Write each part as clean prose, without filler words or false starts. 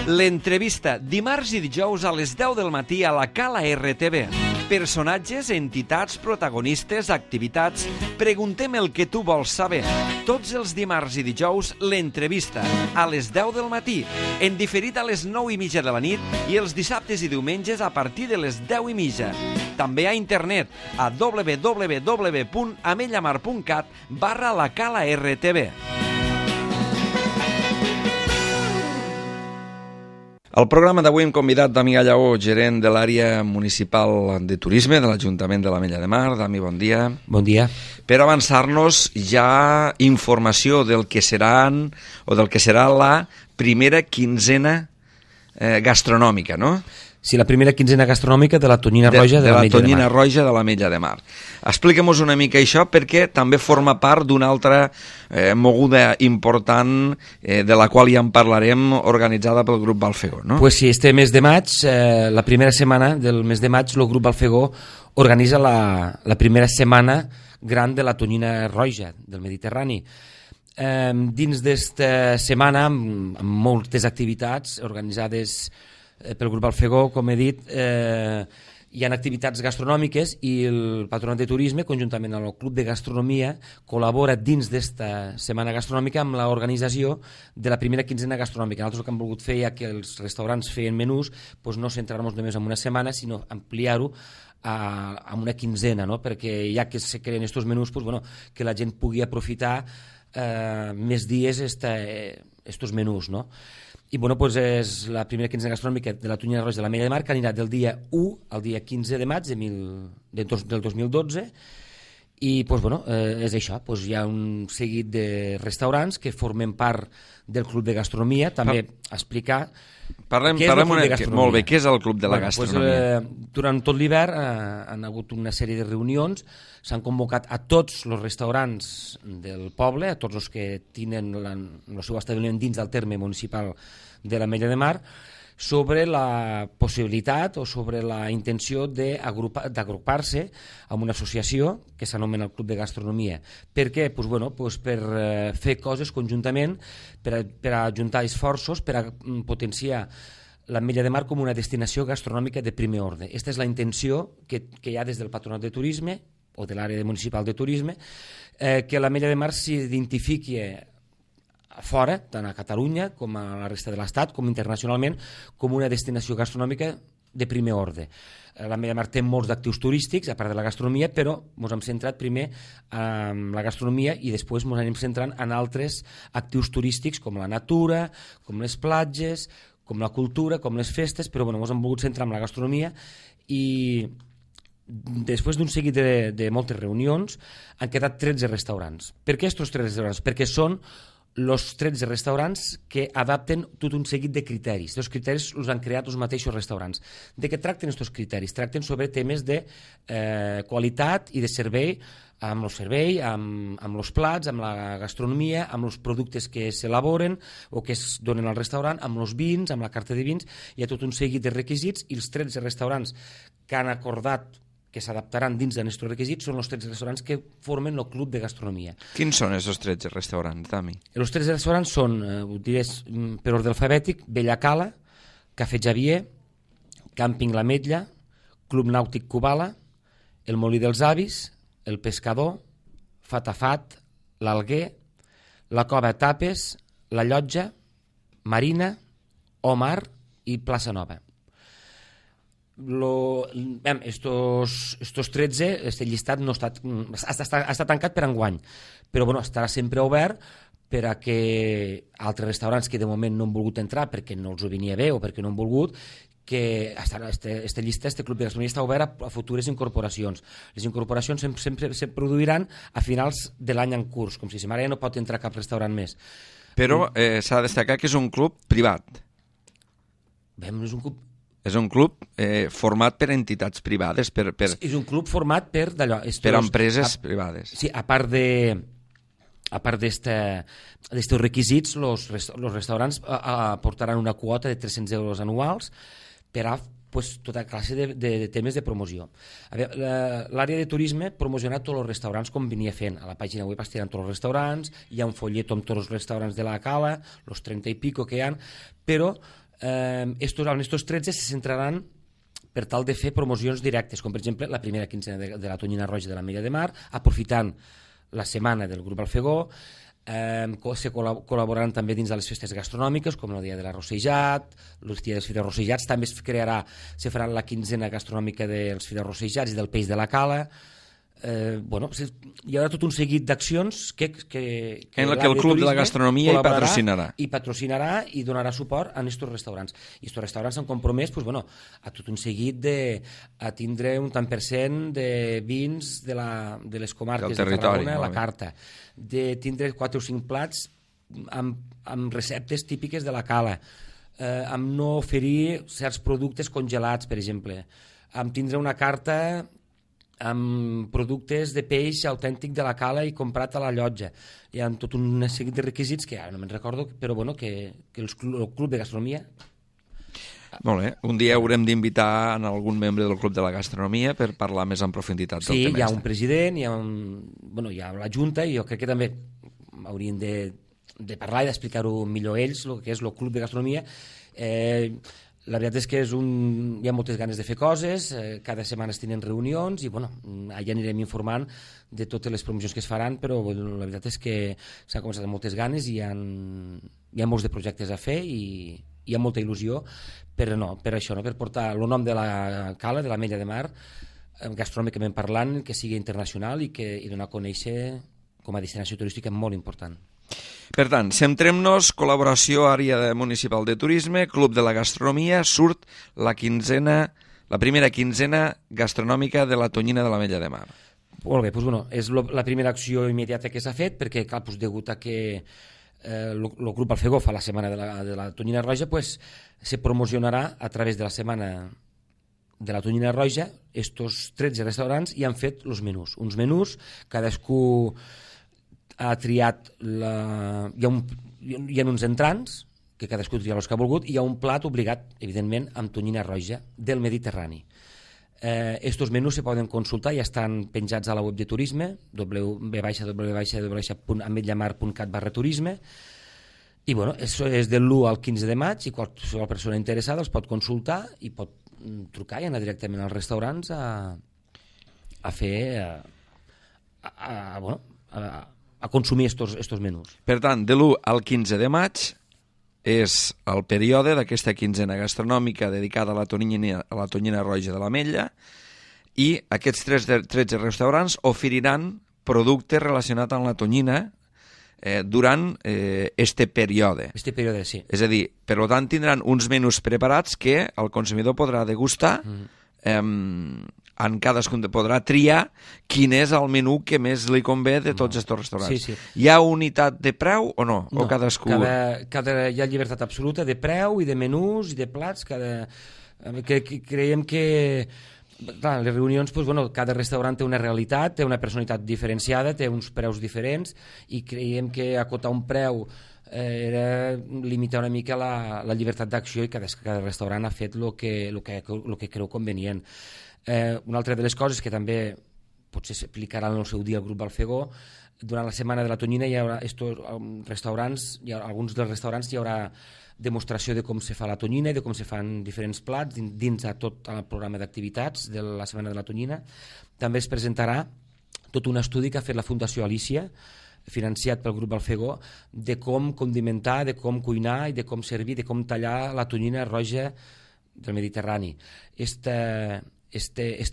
L'entrevista, dimarts i dijous a les 10 del matí a la Cala RTV. Personatges, entitats, protagonistes, activitats... Preguntem el que tu vols saber. Tots els dimarts i dijous, l'entrevista, a les 10 del matí, en diferit a les 9:30 de la nit i els dissabtes i diumenges a partir de les 10:30. També a internet a www.amellamar.cat/la Cala RTV. Al programa d'avui hem convidat Dami Gallaó, gerent de l'àrea municipal de turisme de l'Ajuntament de l'Ametlla de Mar. Dami, bon dia. Bon dia. Per avançar-nos ja informació del que seran o del que serà la primera quinzena gastronòmica, no? Sí, la primera quinzena gastronòmica de la tonyina roja de l'Ametlla de Mar. De la tonyina roja de l'Ametlla de Mar. Expliquem-nos una mica això, perquè també forma part d'una altra moguda important, de la qual ja en parlarem, organitzada pel grup Balfegó, no? Pues sí, este mes de maig, la primera setmana del mes de maig, el grup Balfegó organitza la primera setmana gran de la tonyina roja del Mediterrani. Dins d'esta setmana, amb moltes activitats organitzades pel grup Balfegó, com he dit, hi ha activitats gastronòmiques i el Patronat de Turisme, conjuntament amb el Club de Gastronomia, col·labora dins d'esta setmana gastronòmica amb l'organització de la primera quinzena gastronòmica. Nosaltres el que hem volgut fer, ja que els restaurants feien menús, doncs no centrar-nos només en una setmana, sinó ampliar-ho a una quinzena, no? Perquè ja que se creen aquests menús, doncs, bueno, que la gent pugui aprofitar més dies estos menús, no? I bueno, doncs és la primera quinzena gastronòmica de la tonyina roja de l'Ametlla de Mar, que anirà del dia 1 al dia 15 de maig del 2012, i doncs, bueno, és això, doncs hi ha un seguit de restaurants que formen part del Club de Gastronomia. També explicar Parlem molt bé, què és el Club de la Gastronomia? Durant tot l'hivern han hagut una sèrie de reunions, s'han convocat a tots els restaurants del poble, a tots els que tenen el seu establiment dins del terme municipal de l'Ametlla de Mar, sobre la possibilitat o sobre la intenció d'agrupar-se en una associació que s'anomena el Club de Gastronomia. Per què? Per fer coses conjuntament, per ajuntar esforços, per a potenciar l'Ametlla de Mar com una destinació gastronòmica de primer ordre. Aquesta és la intenció que hi ha des del Patronat de Turisme o de l'àrea municipal de turisme, que l'Ametlla de Mar s'identifiqui fora, tant a Catalunya com a la resta de l'Estat, com internacionalment, com una destinació gastronòmica de primer ordre. L'Ametlla de Mar té molts d'actius turístics, a part de la gastronomia, però ens hem centrat primer en la gastronomia i després ens anem centrant en altres actius turístics com la natura, com les platges, com la cultura, com les festes, però ens hem volgut centrar en la gastronomia i després d'un seguit de moltes reunions han quedat 13 restaurants. Per què aquests 13 restaurants? Perquè són els 13 restaurants que adapten tot un seguit de criteris. Els criteris els han creat els mateixos restaurants. De què tracten aquests criteris? Tracten sobre temes de qualitat i de servei, amb el servei, amb els plats, amb la gastronomia, amb els productes que s'elaboren o que es donen al restaurant, amb els vins, amb la carta de vins. Hi ha tot un seguit de requisits i els 13 restaurants que han acordat que s'adaptaran dins d'aquests requisits són els 13 restaurants que formen el Club de Gastronomia. Quins són aquests 13 restaurants, Dami? Els 13 restaurants són, ho diré per ordre alfabètic, Bella Cala, Cafè Javier, Càmping l'Ametlla, Club Nàutic Cubala, El Molí dels Avis, El Pescador, Fatafat, l'Alguer, la Cova Tapes, la Llotja, Marina, Omar i Plaça Nova. Estos 13, este llistat no està tancat per enguany, però estarà sempre obert per a que altres restaurants que de moment no han volgut entrar perquè no els ho venia bé o perquè no han volgut, que aquesta llista, este Club de Gastronomia està obert a futures incorporacions. Les incorporacions sempre se produiran a finals de l'any en curs, com si ara ja no pot entrar cap restaurant més. Però s'ha de destacar que és un club privat. És un club format per entitats privades. És un club format per empreses privades. Sí, a part d'estos requisits, els restaurants aportaran una quota de 300 euros anuals per a tota classe de temes de promoció. L'àrea de turisme promociona tots els restaurants com venia fent. A la pàgina web estiran tots els restaurants, hi ha un follet amb tots els restaurants de la Cala, els 30 i pico que hi ha, però En estos 13 se centraran per tal de fer promocions directes, com per exemple la primera quinzena de la tonyina roja de l'Ametlla de Mar, aprofitant la setmana del grup Alfegó. Se col·laboraran també dins de les festes gastronòmiques, com el dia de l'arrossejat, el dia dels fideus rossejats. També se farà la quinzena gastronòmica dels fideus rossejats i del peix de la cala. Hi haurà tot un seguit d'accions que en la que el Club de la Gastronomia hi patrocinarà i donarà suport a aquests restaurants. I aquests restaurants s'han compromès a tot un seguit a tindre un tant per cent de vins de les comarques de Tarragona a la carta, de tindre 4 o 5 plats amb receptes típiques de la cala, amb no oferir certs productes congelats, per exemple, amb tindre una carta amb productes de peix autèntic de la cala i comprat a la llotja. Hi ha tot un seguit de requisits que ara no me'n recordo, però que el Club de Gastronomia... Molt bé. Un dia haurem d'invitar algun membre del Club de la Gastronomia per parlar més en profunditat del tema. Sí, hi ha un president, hi ha la Junta, i jo crec que també haurien de parlar i d'explicar-ho millor ells, el que és el Club de Gastronomia. La veritat és que hi ha moltes ganes de fer coses, cada setmana es tenen reunions i allà anirem informant de totes les promocions que es faran, però la veritat és que s'han començat amb moltes ganes i hi ha molts de projectes a fer i hi ha molta il·lusió per això, per portar el nom de la cala, de l'Ametlla de Mar, gastronòmicament parlant, que sigui internacional i donar a conèixer com a destinació turística molt important. Per tant, centrem-nos, col·laboració àrea municipal de turisme, Club de la Gastronomia, surt la primera quinzena gastronòmica de la tonyina de l'Ametlla de Mar. Molt bé, és la primera acció immediata que s'ha fet, perquè degut a que el grup Alfegó fa la setmana de la tonyina roja, se promocionarà a través de la setmana de la tonyina roja. Estos 13 restaurants hi han fet els menús. Uns menús, cadascú ha triat hi ha uns entrants que cadascú tria els que ha volgut i hi ha un plat obligat, evidentment, amb tonyina roja del Mediterrani. Estos menús se poden consultar, ja estan penjats a la web de turisme, www.ametllamar.cat/turisme, i això és del 1 al 15 de maig i qualsevol persona interessada els pot consultar i pot trucar i anar directament als restaurants a fer a consumir estos menús. Per tant, de l'1 al 15 de maig és el període d'aquesta quinzena gastronòmica dedicada a la tonyina roja de l'Ametlla i aquests 13 restaurants oferiran productes relacionats amb la tonyina durant este període. Sí. És a dir, per tant, tindran uns menús preparats que el consumidor podrà degustar en cadascun podrà triar quin és el menú que més li convé de tots aquests restaurants. Sí. Hi ha unitat de preu o no? No, o cadascú... hi ha llibertat absoluta de preu i de menús i de plats. Creiem que les reunions, cada restaurant té una realitat, té una personalitat diferenciada, té uns preus diferents i creiem que acotar un preu era limitar una mica la llibertat d'acció i cada restaurant ha fet el que creu convenient. Una altra de les coses que també potser s'aplicarà en el seu dia al grup Alfegó, durant la setmana de la tonyina hi haurà alguns dels restaurants hi haurà demostració de com se fa la tonyina i de com se fan diferents plats dins de tot el programa d'activitats de la setmana de la tonyina. També es presentarà tot un estudi que ha fet la Fundació Alícia, financiat pel grup Alfegó, de com condimentar, de com cuinar i de com servir, de com tallar la tonyina roja del Mediterrani. Este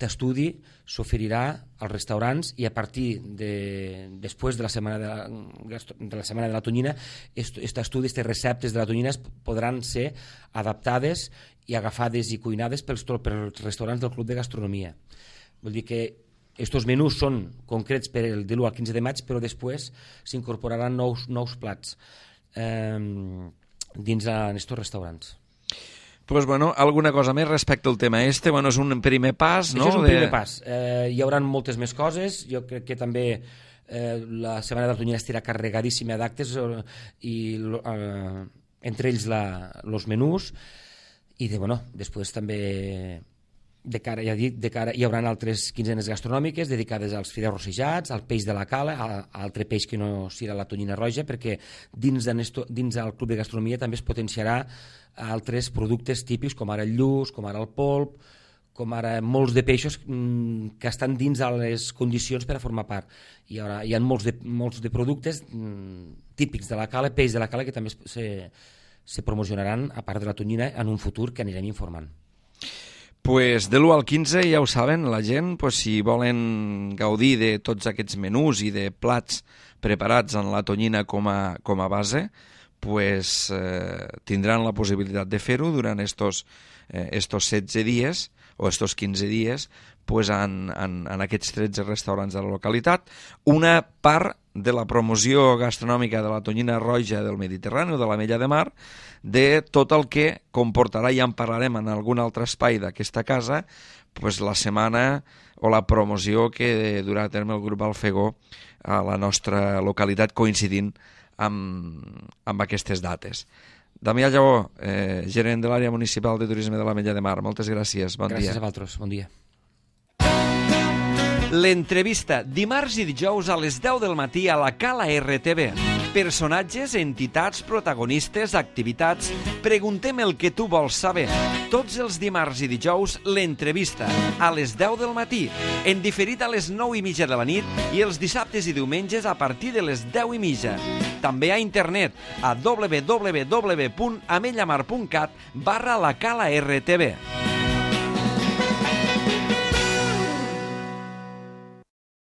estudi s'oferirà als restaurants i a partir després de la setmana de la tonyina, aquest estudi, aquestes receptes de la tonyina podran ser adaptades i agafades i cuinades pels restaurants del Club de Gastronomia. Vol dir que aquests menús són concrets per el de l'1 al 15 de maig, però després s'incorporaran nous plats dins d'aquests restaurants. Pues alguna cosa més respecte al tema este? És un primer pas, no? Això és un primer pas. Hi haurà moltes més coses. Jo crec que també la setmana de la tonyina estarà carregadíssima d'actes i entre ells els menús i després també hi haurà altres quinzenes gastronòmiques dedicades als fideus rossejats, al peix de la cala, a altre peix que no sigui la tonyina roja, perquè dins del Club de Gastronomia també es potenciarà altres productes típics, com ara el lluç, com ara el polp, com ara molts de peixos que estan dins de les condicions per a formar part. Hi ha molts de productes típics de la cala, peix de la cala, que també se promocionaran, a part de la tonyina, en un futur que anirem informant. Pues de l'1 al 15 ja ho saben, la gent, pues, si volen gaudir de tots aquests menús i de plats preparats en la tonyina com a base, pues, tindran la possibilitat de fer-ho durant estos 16 dies o estos 15 dies pues, en aquests 13 restaurants de la localitat. Una part de la promoció gastronòmica de la tonyina roja del Mediterrani o de l'Ametlla de Mar, de tot el que comportarà, ja en parlarem en algun altre espai d'aquesta casa, pues, la setmana o la promoció que durà a terme el grup Alfegó a la nostra localitat, coincidint amb aquestes dates. Damià Lleó, gerent de l'àrea municipal de turisme de l'Ametlla de Mar, moltes gràcies, bon dia. Gràcies a vosaltres, bon dia. L'entrevista, dimarts i dijous a les 10 del matí a la Cala RTV. Personatges, entitats, protagonistes, activitats. Preguntem el que tu vols saber. Tots els dimarts i dijous, l'entrevista, a les 10 del matí, en diferit a les 9:30 de la nit i els dissabtes i diumenges a partir de les 10:30. També a internet a www.amellamar.cat/la Cala RTV.